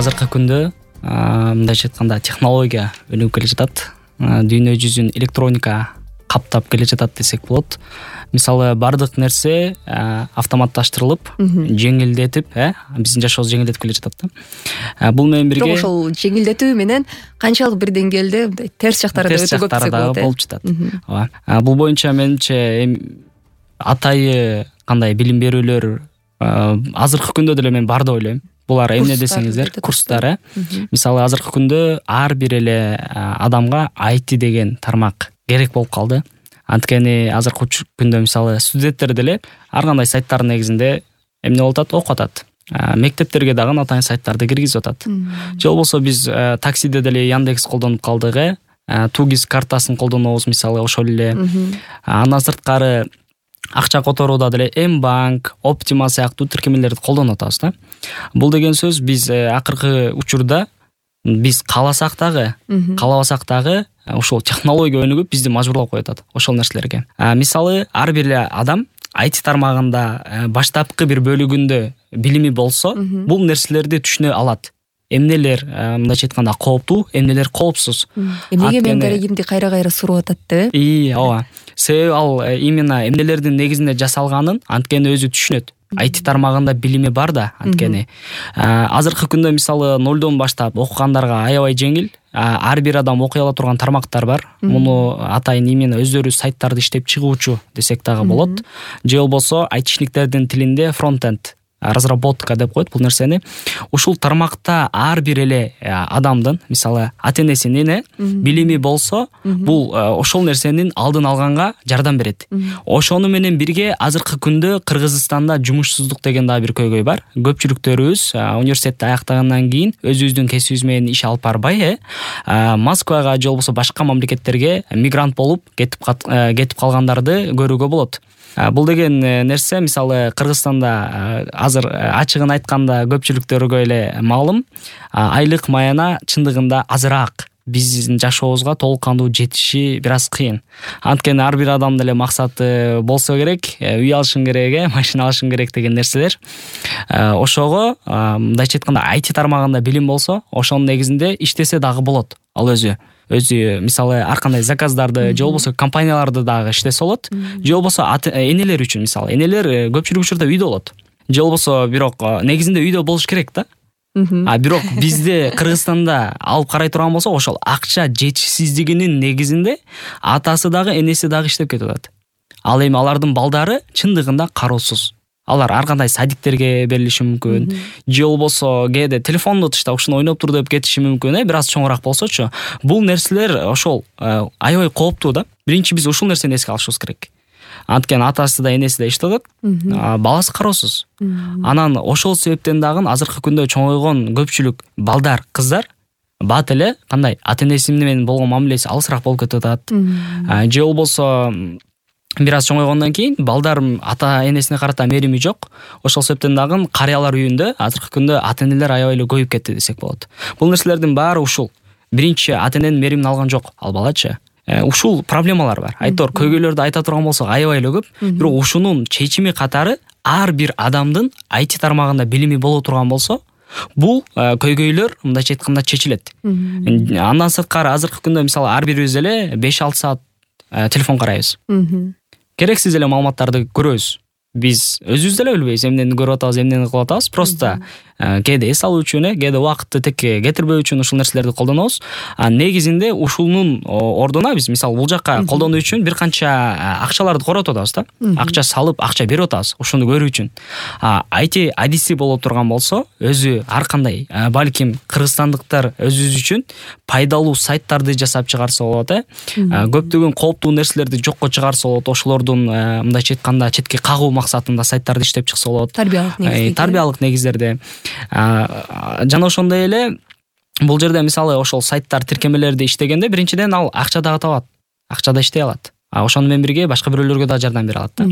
азыркы күндө мындайча айтканда технология өнүгүп келе жатат. Дүйнө жүзүн электроника каптап келе жатат десек болот. Мисалы бардык нерсе автоматташтырылып, жеңилдетип, биздин жашообузду жеңилдетип келе жатат да. Бул менен бирге бирок ошол жеңилдетүү менен канчалык бир деңгээлде мындай терс жактары да өтө көп десек болот. Болуп жатат. Ооба. Бул боюнча менимче атайы кандай билим берүүлөр азыркы күндө деле мен бар деп ойлойм. Булар эмне десеңиздер, курстар. Мисалы азыркы күндө ар бир эле адамга IT деген тармак керек болуп калды. Анткени азыркы күндө мисалы студенттер деле ар кандай сайттардын негизинде эмне болуп атат, окуп атат. Мектептерге дагы атайын сайттарды киргизип атат. Же болбосо биз таксиде деле Яндекс колдонуп калдык, Тугис картасын колдонобуз мисалы ошол эле. Андан сырткары акча которууда деле М-банк, Optima сыяктуу тиркемелерди колдонуп атабыз да. Бул деген сөз биз акыркы учурда биз кааласак дагы, каалабасак дагы ошол технология өнүгүп бизди мажбурлап коюп атат ошол нерселерге. Мисалы ар бир адам IT тармагында баштапкы бир бөлүгүндө билими болсо, бул нерселерди түшүнө алат. Эмнелер мындайча айтканда кооптуу, эмнелер коопсуз. Эмнеге мен дарегимди кайра сурап атат да? Ооба. Себеби ал именно эмнелердин негизинде жасалганын анткени өзү түшүнөт. IT тармагында билими бар да, анткени. Азыркы күндө мисалы нолдон баштап окугандарга аябай жеңил. Ар бир адам окуй ала турган тармактар бар. Муну атайын именно өздөрү сайттарды иштеп чыгуучу десек дагы болот. Же болбосо айтишниктердин тилинде фронт-энд разработка деп коет бул нерсени. Ушул тармакта ар бир эле адамдын, мисалы ата-энесинин билими болсо, бул ошол нерсенин алдын алганга жардам берет. Ошону менен бирге азыркы күндө Кыргызстанда жумушсуздук деген дагы бир көйгөй бар. Көпчүлүктөрүбүз университетти аяктагандан кийин өзүбүздүн кесибибиз менен иш алып барбай, Москвага же болбосо башка мамлекеттерге мигрант болуп кетип калгандарды көрүүгө болот. Бул деген нерсе мисалы Кыргызстанда азыр ачыгын айтканда көпчүлүктөргө эле маалым, айлык маяна чындыгында азыраак биздин жашообузга толук кандуу жетиши бир аз кыйын. Анткени ар бир адамдын эле максаты болсо керек, үй алышың керек, машина алышың керек деген нерселер. Ошого мындайча айтканда IT тармагында билим болсо, ошонун негизинде иштесе дагы болот. Ал өзү мисалы ар кандай заказдарды же болбосо компанияларды дагы иштесе болот. Же болбосо энелер үчүн мисалы энелер көпчүлүк учурда үйдө болот. Же болбосо бирок негизинде үйдө болуш керек да. Бирок бизде Кыргызстанда алып карай турган болсо, ошол акча жетишсиздигинин негизинде атасы дагы энеси дагы иштеп кетип атат. Ал эми алардын балдары чындыгында кароосуз. Алар ар кандай садиктерге берилиши мүмкүн. Же болбосо кээде телефонду тыштап ушуну ойноп тур деп кетиши мүмкүн, бир аз чоңураак болсочу. Бул нерселер ошол аябай кооптуу да. Биринчи биз ушул нерсени эске алышыбыз керек. Анткени атасы да энеси да иштеп атат, баласы кароосуз. Анан ошол себептен дагы азыркы күндө чоңойгон көпчүлүк балдар, кыздар бат эле кандай ата-энеси менен болгон мамилеси алысыраак болуп кетип атат. Же болбосо бир аз чоңойгондон кийин балдар ата-энесине карата мерими жок. Ошол себептен дагы карыялар үйүндө азыркы күндө ата-энелер аябай эле көбөйүп кетти десек болот. Бул нерселердин баары ушул. Биринчи ата-эненин меримин алган жок ал балачы. Ушул проблемалар бар. Айтор көйгөйлөрдү айта турган болсок аябай эле көп. Бирок ушунун чечими катары ар бир адамдын IT тармагында билими боло турган болсо, бул көйгөйлөр мындайча айтканда чечилет. Андан сырткары азыркы күндө мисалы ар бирибиз эле 5-6 саат телефон карайбыз. Керексиз эле маалыматтарды көрөбүз. Биз өзүбүз деле билбейбиз эмнени көрүп атабыз, эмнени кылып атабыз. Просто кээде эс алуу үчүн, кээде убакытты текке кетирбөө үчүн ушул нерселерди колдонобуз. Негизинде ушунун ордуна биз мисалы бул жакка колдонуу үчүн бир канча акчаларды коротуп атабыз да. Акча салып, акча берип атабыз ушуну көрүү үчүн. IT адиси болуп турган болсо, өзү ар кандай балким кыргызстандыктар өзүбүз үчүн пайдалуу сайттарды жасап чыгарса болот, көптөгөн кооптуу нерселерди жокко чыгарса болот, ошолордун мындайча айтканда четке кагуу максатында сайттарды иштеп чыкса болот. Тарбиялык негиздерде. Жана ошондой эле бул жерде мисалы ошол сайттар тиркемелерди иштегенде биринчиден ал акча дагы табат. Акча да иштей алат. Ошону менен бирге башка бирөөлөргө да жардам бере алат да.